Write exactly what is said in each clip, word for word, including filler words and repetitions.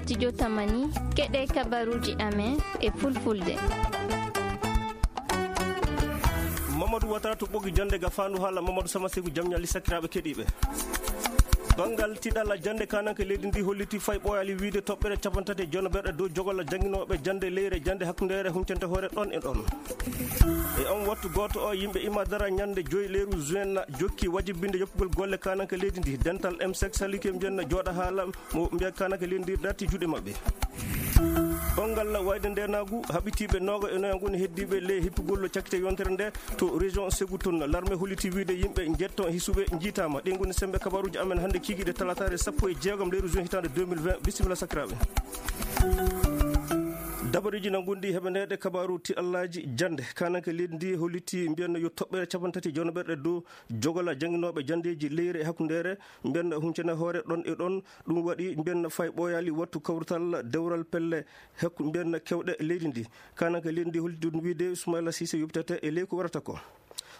Studio Tamani, keɗe kabaruji amen e fulfulde. Mamadou Watara to ɓogi jande ga fandu hala Mamadou Sama Segu jam ñalli sakiraɓe keɗiɓe. Bangal tiɗalla jande kananke leydi ndi holliti fay ɓoyali wiide toɓɓere capantati e jono berɗe dow jogolla janginoɓe jande leyre jande hakkundeere huncante hoore ɗon e ɗon. E on wattu goto o yimɓe ima dara ñande joyi leyru juin na jokki wajibinde yoppugol golle kananke leydi ndi. Dental M sek salike mbiyen na joɗa haala mo mbiya kananke leydi ndi darti juuɗe maɓɓe. Banngal wayde ndenagu haɓitiiɓe nooga e noya ngoni heddiiɓe ley hippugol cakkite yontere nde to région Ségou toon. Larme holliti wiide yimɓe njetto hisuɓe njiitaama. Ɗi ngoni sembe kabaruji amen hannde kikiɗe talataare sappo e jeegom leyru juin hitaande deux mille vingt. Bisimilla sakiraaɓe. Dabareeji na ngondi heɓaneede kabaru tiɗallaaji jannde. Kananke leydi ndi holliti mbiyanno yo toɓɓere capantati jono berɗe dow jogola jannginooɓe janndeeji leyre e hakkundeere mbiyanno huncene hoore ɗon e ɗon. Ɗum waɗi mbiyanno fay ɓooyaali wattu kawrital dewral pelle hekku mbiyanno kewɗe leydi ndi. Kananke leydi ndi holliti ɗum wiide Ismaila Sise yoptata e ley ko warata ko.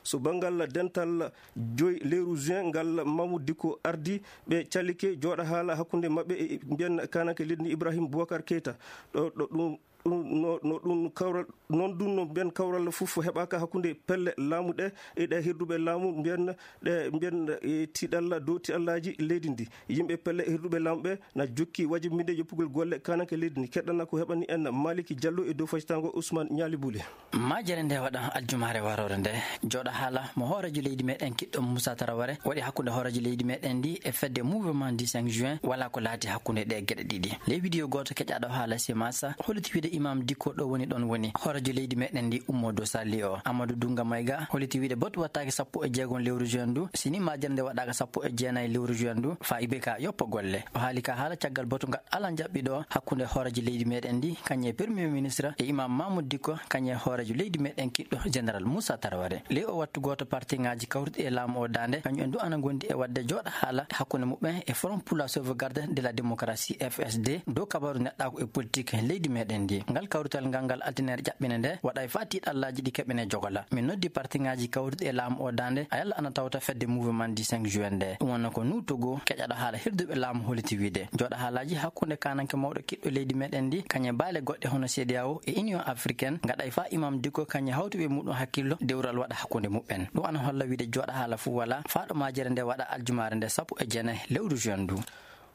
So banngal dental joyi leyru juin ngal Mamoudou Dicko ardi ɓe calike jooɗa haala hakkunde maɓɓe e mbiyan kananke leydi ndi Ibrahim Boubacar Keita. Ɗo, ɗo ɗum, ɗum no, no ɗum kawral, noon ɗum no mbiyan kawral fof heɓaka hakkunde pelle laamu ɗe e ɗe hirduɓe laamu mbiyan ɗe mbiyan e tiɗalla dow tiɗallaaji leydi ndi. Yimɓe pelle e hirduɓe laamu ɓe na jokki wajibinde yoppugol golle kananke leydi ndi. Keɗɗana ko heɓani en Maliki Diallo e dow facitango Ousmane Ñaali Buli. Majere nde waɗa aljumaare warore nde jooɗa haala mo hoorejo leydi meɗen kiɗɗo Moussa Taraware waɗi hakkunde hoorejo leydi meɗen ndi e fedde mouvement du cinq juin wala ko laati hakkunde ɗe geɗe ɗiɗi. Ley vidéo gooto keƴaɗo haala Semasa holliti wiide imam Dicko ɗo woni ɗon woni hoorejo leydi meɗen ndi ummo dow salli o. Amadou Dunga Mayga holliti wiide botu wattaake sappo e jeegom lewru juin ndu, sini majere nde waɗaaka sappo e jeenayi lewru juin ndu, fa I B K yoppa golle. O haali ka haala caggal botu ngal ala njaɓɓiɗo hakkunde hoorejo leydi meɗen ndi, kañum e premier ministre e imam Mamoudou Dicko, kañum e hoorejo leydi meɗen kiɗɗo général Moussa Taraware. Ley o wattu gooto parti ŋaaji kawruɗi e laamu o daande, kañum en du ana ngondi e waɗde jooɗa haala hakkunde muɓɓen e Front pour la sauvegarde de la démocratie, F S D, dow kabaru neɗɗaaku e politique leydi meɗen ndi. Ngal kawrital ngal ngal altine jaɓɓine nde waɗa e fa tiɗallaaji ɗi keɓene jogola. Min noddi parti ŋaaji kawruɗi e laamu o daande, a yalla ana tawta fedde mouvement du cinq juin nde. Ɗum wonno ko Nuutogo, keƴaɗo haala hirduɓe laamu holliti wiide. Jooɗa haalaaji hakkunde kananke mawɗo kiɗɗo leydi meɗen ndi, kañum e baale goɗɗe hono C D A O e Union africaine, ngaɗa e fa imam Dicko kañum e hawtuɓe muɗum hakkillo dewral waɗa hakkunde muɓɓen. Ɗum ana holla wiide jooɗa haala fuu wala, faaɗo majere nde waɗa aljumaare nde sappo e jeenayi lewru juin ndu.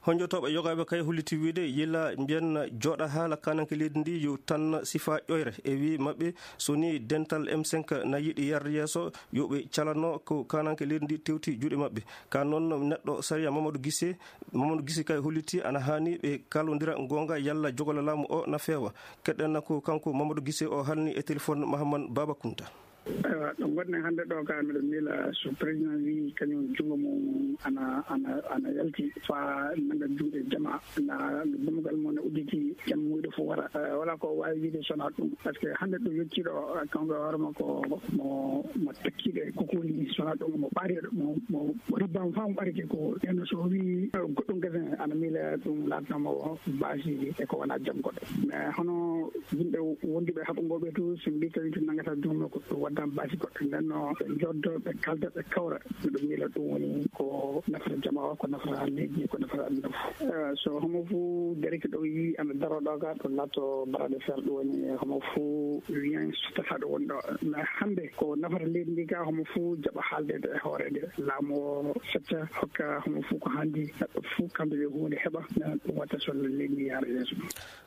Honjotooɓe yogaaɓe kay holliti wiide yila mbiyan jooɗa haala kananke leydi ndi yo tan sifa ƴoyre. E wi maɓɓe so ni dental M cinq na yiɗi yarde yeeso yo ɓe calano ko kananke leydi ndi tewti juuɗe maɓɓe. Ka noon neɗɗo sariya Mamadou Gise, Mamadou Gise kay holliti ana haani ɓe kalondira ngonga yalla jogola laamu o na feewa. Keɗɗen na ko kanko Mamadou Gise o halni e téléphone Mahamman Baba Kunta. Ewa, ɗo ngonɗen hannde ɗo ka miɗo miila so président wi kañum junngo mum ana, ana, ana yalti fa nanga juuɗe jama, na dammugal mum ne udditi, jam muyɗo fof wara. Eh, wala ko waawi wiide sona ɗum. Parce que hannde ɗo yettiiɗo, eh, kanko e hoore makko mo, mo tekkiiɗo e kokooli ni, sona ɗum mo ɓaariiɗo, mo, mo, mo ribbama fa mo ɓarike ko. Nden so o wi, eh, goɗɗum gese ana miila ɗum laatnoma o baasi e ko wona jam goɗɗo. Mais hono yimɓe wonduɓe haɓugooɓe to, so mbi tawi to nangata joomum ko ɗum waddama baasi goɗɗo. Nden no ɓe joddo, ɓe kalda, ɓe kawra. Miɗo miila ɗum woni ko nafata jama o, ko nafata leydi, ko nafata aduna fof. Eh, so homo fof dereke ɗo yi ana daro ɗo ga, ɗum laatto baraade fer, ɗum woni homo fof wiyan so tata ɗo woni ɗo. Mais hannde ko nafata leydi ndi ga, homo fof jaɓa haaldeede e hoore nde. Laamu o fecca, hokka homo fof ko handi, neɗɗo fof kamɓe ɓe huunde heɓa, ɗum watta so leydi ndi yaara yeeso.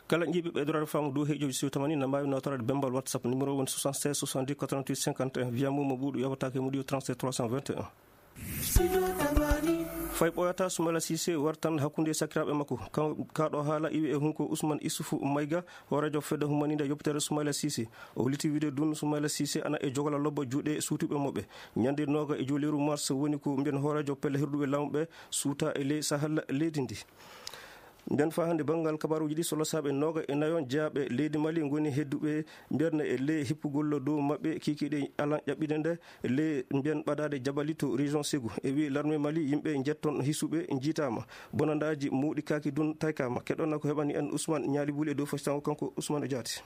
Kala jiiɓe ɓe dorade faamu dow heejoji siw tamani na mbaawi nawtorade bembal WhatsApp numéro woni soixante-seize soixante-dix quatre-vingt-huit cinquante et un, via Momo Ɓuuɗu yawata ke Modio trente-sept trois cent vingt et un. Fay ɓooyata Soumaila Cissé wartan hakkunde sakiraaɓe makko. Ka-, kaɗo haala iwi e hunko Ousmane Issoufou Maïga, hooreejo fedde humaniinde yoppitere Soumaila Cissé. O holliti wiide ɗum Soumaila Cissé ana e jogola lobba juuɗe suutuɓe moɓɓe. Ñande nooga e joyi lewru mars woni ko mbiyen hooreejo pelle hirduɓe laamu ɓe suuta e ley sahal leydi ndi. Nden faa hannde banngal kabaaruuji ɗi, solosaaɓe nooga e nayo jeyaaɓe leydi Mali ngoni hedduɓe mbiyatno e ley hippugol dow maɓɓe kikiiɗe alan ƴaɓɓinde nde ley mbiyan ɓadaade Jabali to région Ségou. E wii larme Mali, yimɓe njetton hisuɓe njiitaama. Bonandaaji mawɗi kaaki dun taykaama. Keɗonna ko heɓani en Ousmane Ñaali Buli e dow fasitango kanko Ousmane Diaté.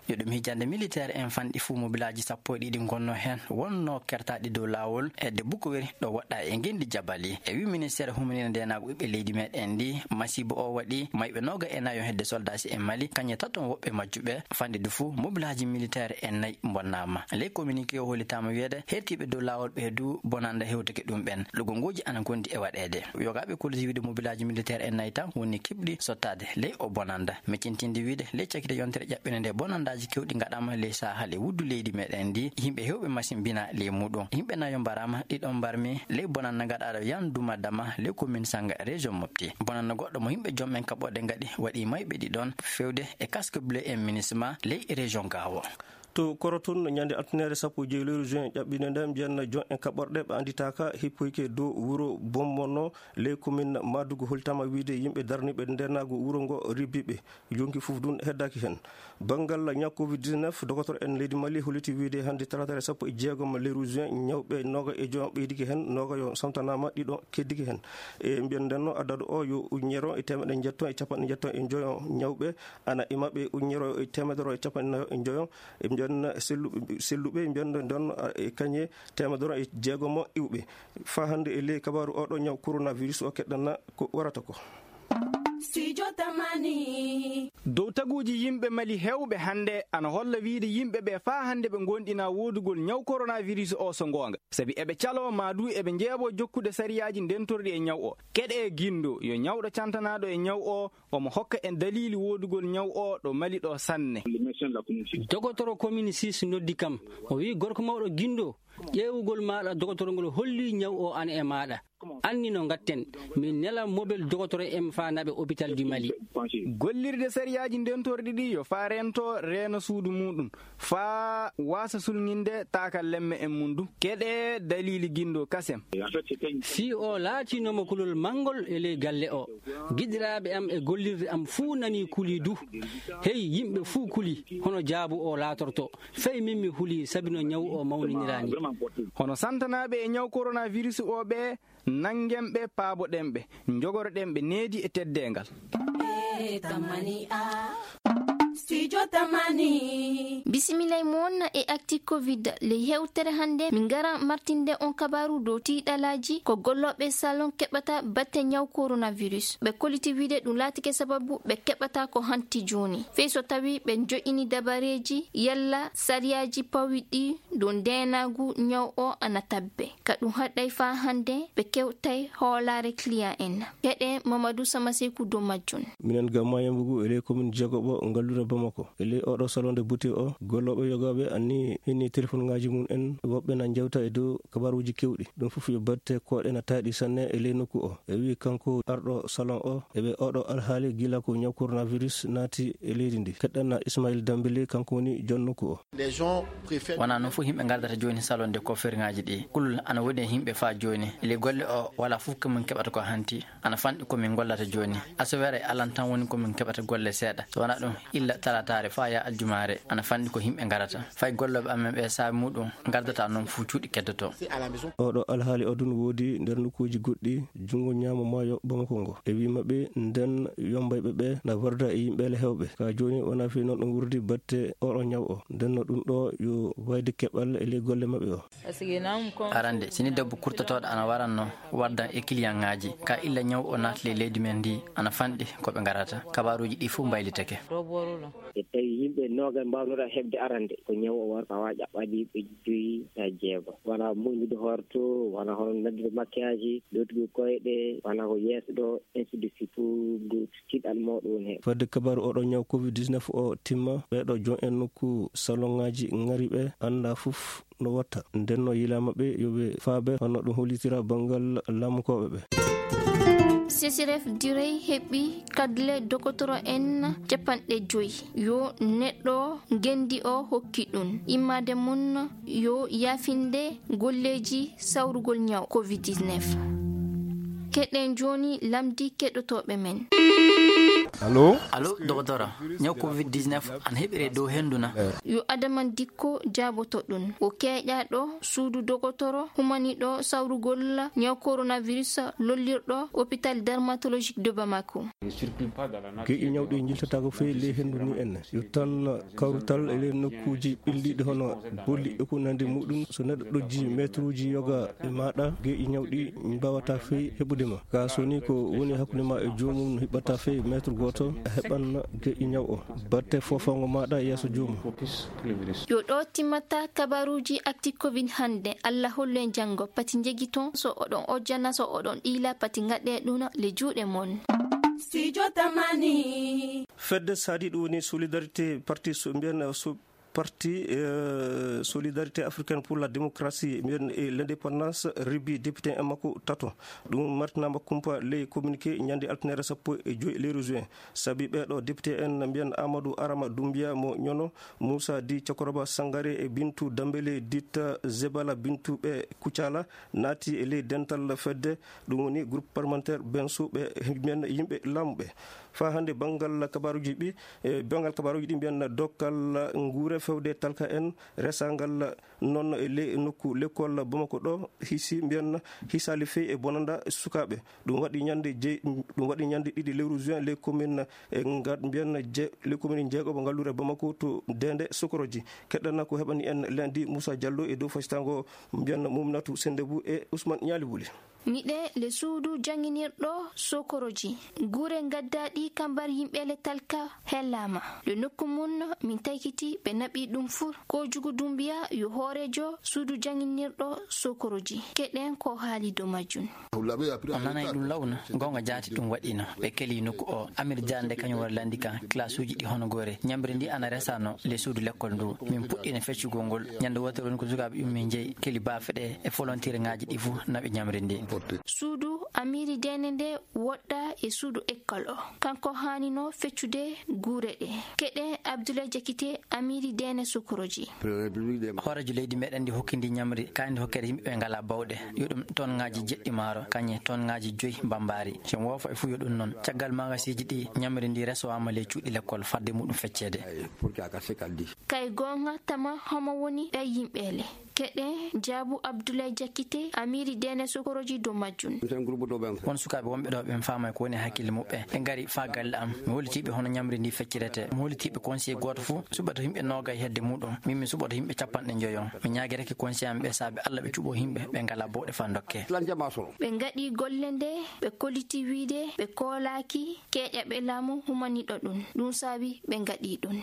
Yo ɗum hijjande militeer en fanɗi fuu mobilaaji sappo e ɗiɗi ngonnoo heen, wonnoo kertaaɗi dow laawol e de Bukoweri ɗo woɗɗaa e ngenndi Jabali. E wii ministeer huminire ndeenaagu ɓiɓɓe leydi meɗen ndi, masiibo o waɗi mayɓe nooga e nayo hedde soldaasi e Mali, kañe taton woɓɓe majjuɓe. Fanɗi du fuu mobilaaji militeer en nayi mbonnaama. Ley communiqué o hollitaama wiyeede hertiiɓe dow laawol ɓe du bonanda hewtake ɗum ɓen. Lugongooji ana ngondi e waɗeede. Yogaaɓe koliti wiide mobilaaji militeer en nayi tan woni keɓɗi sottaade ley o bonanda. Miccintinde wiide ley cakite yontere ƴaɓɓinde nde bonandaaji kewɗi ngaɗaama ley Sahel e wuddu leydi meɗen ndi, yimɓe hewɓe masin mbina ley muɗum. Yimɓe nayo mbaraama, ɗiɗo mbarmi ley bonanda ngaɗaaɗo Yan Duma Dama ley commune Sanga région Mopti. Bonanda goɗɗo mo yimɓe joom en kaɓɓorɗe ngaɗi waɗi mayɓe ɗiɗon fewde e casque bleu en minisma ley région Gaawo. To Korotun, ñande altinere sappo e joyi lewru juin ƴaɓɓinde nde, mbiyanna joom en kaɓɓorɗe ɓe annditaaka hippoyke dow wuro Bommono ley commune Madugu holtama wiide yimɓe darniiɓe ndeenaagu wuro ngo ribbiɓe, yonki fof dun heddaaki heen. Banngal ñaw covid dix-neuf, dogotoro en leydi Mali holliti wiide hannde talaataare sappo e jeegom lewru juin, ñawɓe nooga e joom ɓeydike heen, nooga yo samtanaama, ɗiɗo keddike heen. E mbiyan ndenno adadu o yo ujunere e teemeɗɗe njetto e capanɗe njetto e njoyo ñawɓe, ana e maɓɓe ujunere e teemedere e capanɗe nayo e njoyo. E mbiyan selluɓe, selluɓe mbiyan nden, a, e kañe teemedere e jeegomo iwɓe. Faa hannde e ley kabaaru oɗo ñaw coronavirus o keɗɗana ko warata ko. Studio Tamani. Dow taguuji yimɓe Mali heewɓe hannde ana holla wiide yimɓe ɓe faa hannde ɓe ngoonɗinaa woodugol ñaw coronavirus o so ngoonga. Sabi eɓe caloo maa du eɓe njeeɓoo jokkude sariyaaji ndentorɗi e ñaw o. Keɗee Gindo, yo ñawɗo cantanaaɗo e ñaw o, omo hokka en daliili woodugol ñaw o ɗo Mali ɗo sanne. Dogotoro commune six noddi kam. O wi'i, "Gorko mawɗo Gindo, ƴeewugol maaɗa dogotoro ngol holli ñaw o ana e maaɗa. Anni no ngatten, min nela mobel dogotoro en faa naɓe hôpital du Mali." Gollirde sariyaaji ndentorɗi ɗi yo faa rento reeno suudu muɗum, faa waasa sulŋinde taakallemme en mum du. Keɗee daliili Gindo kasem. Fii o laatinooma kulol manngol e ley galle o. Giɗiraaɓe am e gollirde am fuu nanii kulii du. Hey, yimɓe fuu kulii, hono jaabu o laatorto. Fay min mi hulii sabi no ñaw o mawniniraani. Hono santanaaɓe e ñaw coronavirus o ɓe, nanngen ɓe, paaboɗen ɓe, njogoroɗen ɓe needi e teddeengal. Studio Tamani. Bisimilla e mon e Actu Covid. Ley hewtere hannde, min ngara martinde on kabaaru dow tiiɗalaaji ko gollooɓe salon keɓata batte ñaw coronavirus. Ɓe koliti wiide ɗum laatike sababu ɓe keɓata ko hanti jooni. Fey so tawi ɓe jo'ini dabareeji yalla sariyaaji pawiɗi dow ndeenaagu ñaw o ana tabbe. Ka ɗum haɗay faa hannde ɓe kewtay hoolaare client en. Keɗee Mamadou Samaseku dow majjum. Minen Gamma Yambugu e ley commune jeegoɓo ngalluure Bamako. E ley oɗo salon de beauté o, gollooɓe yogaaɓe anni hinni téléphone ŋaaji mum en, woɓɓe na njewta e dow kabaaruuji kewɗi. Ɗum fof yo batte koɗe na taaɗi sanne e ley nokku o. E wi kanko arɗo salon o, e ɓe oɗo alhaali gila ko ñaw coronavirus naati e leydi ndi. Keɗɗanna Ismail Dambili, kanko woni jon nokku o. Wonaa noon fof yimɓe ngardata jooni salon de coiffure ŋaaji ɗi. Kulol ana woni e yimɓe faa jooni. E ley golle o, walaa fof ko min keɓata ko hanti. Ana fanɗi ko min gollata jooni. Asawere alan tan woni ko min keɓata golle seeɗa. So wonaa ɗum, illa talataare faa yaa aljumaare, ana fanɗi ko yimɓe ngarata. Fay gollooɓe amen ɓe saabe muɗum ngardata noon fof cuuɗi keddotoo. Oɗo alhaali o ɗum woodi nder nokkuuji goɗɗi, junngo ñaamo maayo Bamako ngo. E wi maɓɓe, nden yombayɓe ɓe na warda e yimɓe le hewɓe. Ka jooni wonaa fii noon ɗum wurdi batte oɗo ñaw o. Nden no ɗum ɗo yo wayde keɓal e ley golle maɓɓe o. Arande, sini debbo kurtotooɗo ana waranno wardan e kiliyaŋaaji. Ka illa ñaw o naatli e leydi men ndi, ana fanɗi ko ɓe ngarata. Kabaaruuji ɗi fof mbaylitake. So tawi yimɓe nooga mbaawnora heɓde arande, ko ñaw o war tawa ƴaɓɓaɗi ɓe joyi e jeego. Wona moƴƴude hoore to, wona hono naddude maquillage, lootugol koyɗe, wona ko yeeso ɗo, ainsi de suite, pour tiiɗal mawɗo woni heen. Fadde kabaaru oɗo ñaw covid dix-neuf o timma, ɓeeɗo joom en nokku salon ŋaaji ŋari ɓe annda fof no watta. Nden no yilaama ɓe yo ɓe faabe hono ɗum hollitira banngal laamukooɓe ɓe. C C R F Direy heɓi kadle dokotoro en capanɗe joyi. Yo neɗɗo ngenndi o hokki ɗum. Immaade mum yo yaafinde golleeji sawrugol ñaw covid dix-neuf. Keɗen jooni lamndi keɗotooɓe men. Allo? Allo, dokotoro. Ñaw covid dix-neuf ana heɓire dow hendu na? Yo Adama Dikko jaaboto ɗun. O keeƴaaɗo suudu dogotoro humaniiɗo sawrugol ñaw coronavirus lollirɗo hôpital dermatologique de Bamako. Geƴƴi ñaw ɗi njiltataako fey ley hendu ni en. Yo tan kawrutal e ley nokkuuji ɓilliiɗi hono bolli e ko nandi muɗum. So neɗɗo ɗojji meetruuji yoga e maaɗa, geƴƴi ñaw ɗi mbaawataa fey heɓude ma. Kaa so ni ko woni hakkunde ma e joomum no hiɓɓataa fey meetru gooto, a heɓan geƴƴi ñaw o. Batte foofaango maaɗa yeeso joomum. Yo ɗo timmata kabaruuji Actu Covid hannde. Allah hollu en janngo. Pati njegiton, so oɗon ojjana, so oɗon ɗiila, pati ngaɗɗee ɗum le juuɗe mon. Studio Tamani. Fedde saadi ɗum woni solidarité parti so mbiyen so parti, eh, solidarité africaine pour la démocratie mbiyen e l'indépendance, ribi député en makko tato. Ɗum martinaama kumpa ley communiqué ñande altine sappo e joy lewru juin. Sabi ɓeeɗo député en mbiyen Amadou Arama Doumbia mo Ñono, Moussa Di Cokoroba Sangare e Bintu Dambele Ditta Zebala Bintu ɓe Kucala naati e ley dental fedde, ɗum woni groupe parlementaire Benso ɓe mbiyen yimɓe laamu ɓe. Faa hannde banngal kabaruuji ɗi, e banngal kabaruuji ɗi mbiyen dokkal nguure fewde talka en resangal noon e ley nokku lekkol Bamako ɗo hisi mbiyen hisaali fey e bonanda sukaaɓe. Ɗum waɗi ñande jey-, ɗum waɗi ñande ɗiɗi lewru juin ley commune e ngal mbiyen je-, ley commune jeegoɓo ngalluure Bamako to Dende Sokoroji. Keɗɗana ko heɓani en lundi Moussa Diallo e dow fasitango mbiyen Mouminatou Sendebou e Ousmane Ñaali Wuli. Miɗe le suudu jannginirɗo Sokoroji. Gure gaddaaɗi kambar yimɓe le talka hellaama. Le nokku mun min taykiti ɓe naɓi ɗum fur. Ko Jugu Dumbiya yo hooreejo suudu jannginirɗo Sokoroji. Keɗen ko haali dow majjun. On nanay ɗum lawna, goonga jaati ɗum waɗiino. Ɓe keli nokku o. Amir Diande kañum wara landi kan, classe uji ɗi hono goore. Ñamri ndi ana resano le suudu lekkol ndu. Min puɗɗiino feccugol ngol. Ñande wootere woni ko sukaaɓe ummi njeyi, keli baafe ɗe e volontaire ŋaaji ɗi fu naɓi ñamri ndi. Suudu Amiri Dene nde woɗɗa e suudu ekkol o. Kanko haanino feccude guure ɗe. Keɗe Abdoulaye Diakité, Amiri Dene Sokoroji. Hooreejo leydi meɗen ndi hokki ndi ñamri, kaandi hokkere yimɓe ɓe ngalaa bawɗe. Yo ɗum tonŋaaji jeɗɗi maaro, kañe tonŋaaji joyi mbambaari. Si woofa e fuu yo ɗum noon. Caggal magasiiji ɗi ñamri ndi resowaama ley cuuɗi lekkol fadde muɗum fecceede. Kay goonga tama homo woni ɗay yimɓe le. Keɗe jaabu Abdoulaye Diakité, Amiri Dene Sokoroji dow majjun. Won sukaaɓe wonɓe ɗo ɓen faamay ko woni hakkille muɓɓe. Ɓe ngari faa galle am. Mi hollitiiɓe hono ñamri ndi feccirete. Mi hollitiiɓe conseil gooto fuu suɓata yimɓe noogay hedde muɗum. Min mi suɓoto yimɓe capanɗe njoyo. Mi ñaagirake conseil am ɓe saabe Alla ɓe cuɓo yimɓe ɓe ngalaa bawɗe faa ndokke. Ɓe ngaɗi golle nde ɓe kolliti wiide ɓe koolaaki keeƴaɓe laamu humaniiɗo ɗum. Ɗum saabi ɓe ngaɗi ɗum.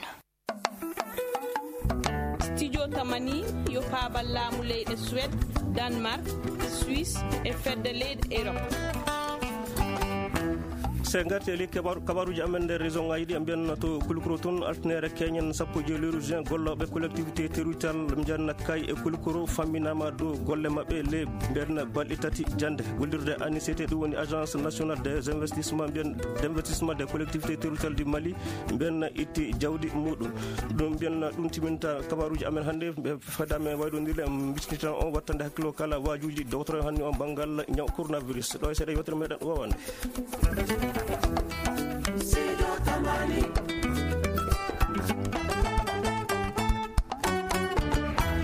Studio Tamani yo paabal laamu leyɗe Suède, Danemark, Suisse e fedde leyɗe Europe. Se ngarti e ley kabaru-, kabaruuji amen nder région ŋaaji ɗi, en mbiyan to Kulikoro toon, altinere keñen sappo e joy lewru juin, gollooɓe collectivité territoriale mbiyan kay e Kulikoro famminaama dow golle maɓɓe ley mbiyan balɗe tati jannde. Gollirde A N I C T, ɗum woni Agence Nationale des Investissements, mbiyan d'Investissement des Collectivités Territoriales du Mali, mbiyan itti jawdi muɗum. Ɗum mbiyan ɗum timinta kabaruuji amen hannde, ɓe fada men waydondire, en mbisnitan on wattande hakkilo kala waajuuji dowtoro hannde on banngal ñaw coronavirus. Ɗo e seeɗa yewtere meɗen wowande.